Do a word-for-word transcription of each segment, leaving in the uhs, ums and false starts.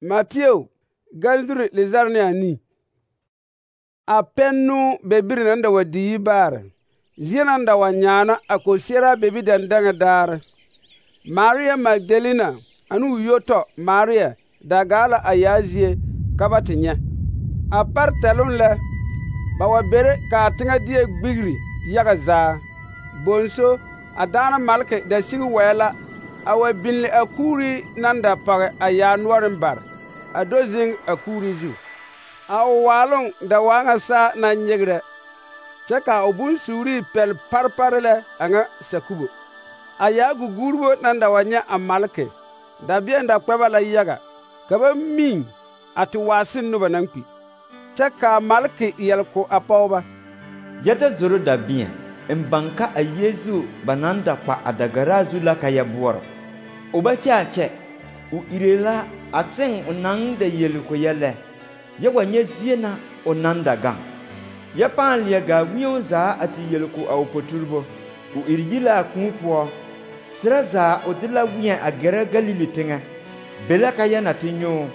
Mateo galzuri lizar ne ani. A pennu bebiri nan da wa diyi baare. Zie nan da wa nyaana a ko siera bebi dandaŋa daare. Maria Magdalena ane o yoto Maria da gaala a yaa zie ka ba te nyɛ. A par tɛluŋ lɛ, ba wa bere kaa teŋa die gbigri yaga zaa. Bonso a daana malke da sigi wɛɛ la a wa binli a kuuri nan da pɔge a yaa noɔreŋ bare, a do zeŋ a kuuri zu. A o waaloŋ da waa ŋa saa naŋ nyegrɛ, kyɛ ka o bonsuurii pɛl parpare lɛ a ŋa sakubo. A yaa guguurbo nan da wa nyɛ a malke, dabeɛn da kpɛ ba la yaga, ka ba miŋ a te waase noba naŋ kpi. Kyɛ kaa malke yɛl ko a pɔgeba: Yɛ ta zoro dabeɛn, n baŋ ka a Yeezu ba naŋ da kpa a dagaraa zu la ka yɛ boɔrɔ. O ba kyɛ a kyɛ, o ire la a seŋ o naŋ da yeli ko yɛ lɛ, yɛ wa nyɛ zie na o naŋ da gaŋ. Yɛ pãã leɛ gaa wĩu zaa a te yeli ko a o poturebo. O iri yi la a kūū poɔ, serɛ zaa o de la weɛ a gɛrɛ Galili teŋɛ. Be la ka yɛ na te nyoo,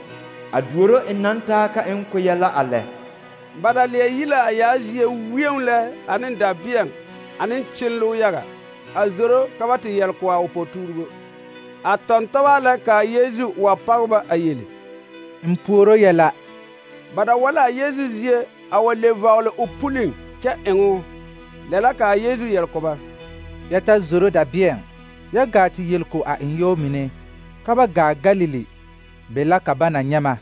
a duoro n naŋ taa ka n ko yɛ la a lɛ. Ba da leɛ yi la a yaa zie wieŋ lɛ ane dabeɛŋ ane kyenloo yaga, a zoro ka ba te yɛl ko a o poturebo. A tɔntɔba lɛ kaa Yeezu wa pɔgeba a yeli: N puoro yɛla. Ba da wa la a Yeezu zie a wa le vɔgele o puliŋ kyɛ eŋo. Lɛ la kaa Yeezu yɛl ko ba: Yɛ ta zoro dabeɛŋ, yɛ gaa te yel ko a enyɔɔ mine, ka ba gaa Galili, be la ka ba na nyɛ ma.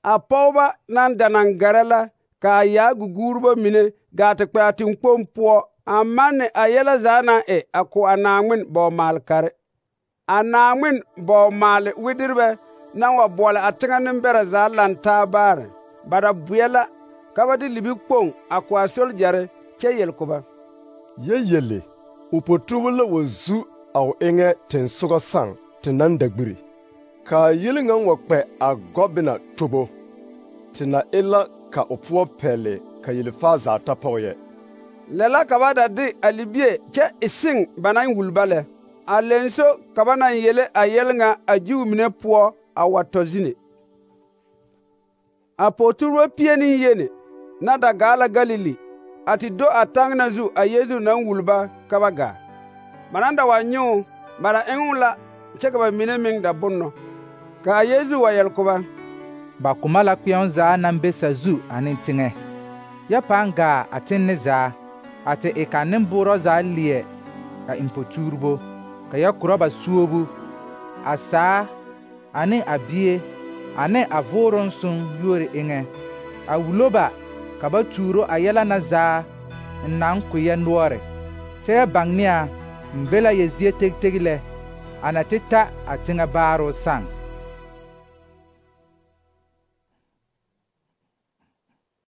A pɔgeba naŋ da naŋ gɛrɛ la kaa yaa guguurbo mine gaa te kpɛ a teŋkpoŋ poɔ a manne a yɛlɛ zaa naŋ e a ko a Naaŋmen bɔɔ-maale-kare. A Naaŋmen bɔɔ-maale widirbɛ naŋ wa boɔle a teŋɛ nembɛrɛ zaa lantaa baare, ba da boɛ la ka ba de libikpoŋ a ko a soljare kyɛ yel ko ba: Yɛ yelle, o poturebo la wa zu a o eŋɛ tensogɔ sãŋ te naŋ da gbiri. Kaa yeli ŋa wa kpɛ a gɔbena tobo, te na e la ka o poɔ pɛle ka yelfaa zaa ta pɔge yɛ. Lɛ la ka ba da de a libie kyɛ e seŋ ba naŋ wul ba lɛ. A lenso ka ba naŋ yele a yɛl ŋa a Jiu mine poɔ a wa tɔ zine. A poturebo pie ne yeni na da gaa la Galili, a te do a taŋ na zu a Yeezu naŋ wul ba ka ba gaa. Ba naŋ da wa nyoo, ba da eŋoo la kyɛ ka ba mine meŋ da bonnɔ. Kaa Yeezu wa yɛl ko ba: Ba koma la kpeɛŋ zaa naŋ be sazu ane teŋɛ. Yɛ pãã gaa a tenne zaa, a te e ka nemboorɔ zaa leɛ a eŋ poturebo, ka yɛ korɔ ba suobu, a saa ane a bie ane a vooroŋ soŋ yuori eŋɛ, a wulo ba ka ba tuuro a yɛlɛ na zaa n naŋ ko yɛ noɔre. Kyɛ yɛ baŋ ne a n be la yɛ zie tegteg lɛ, a na te ta a teŋɛ baaroo sãŋ.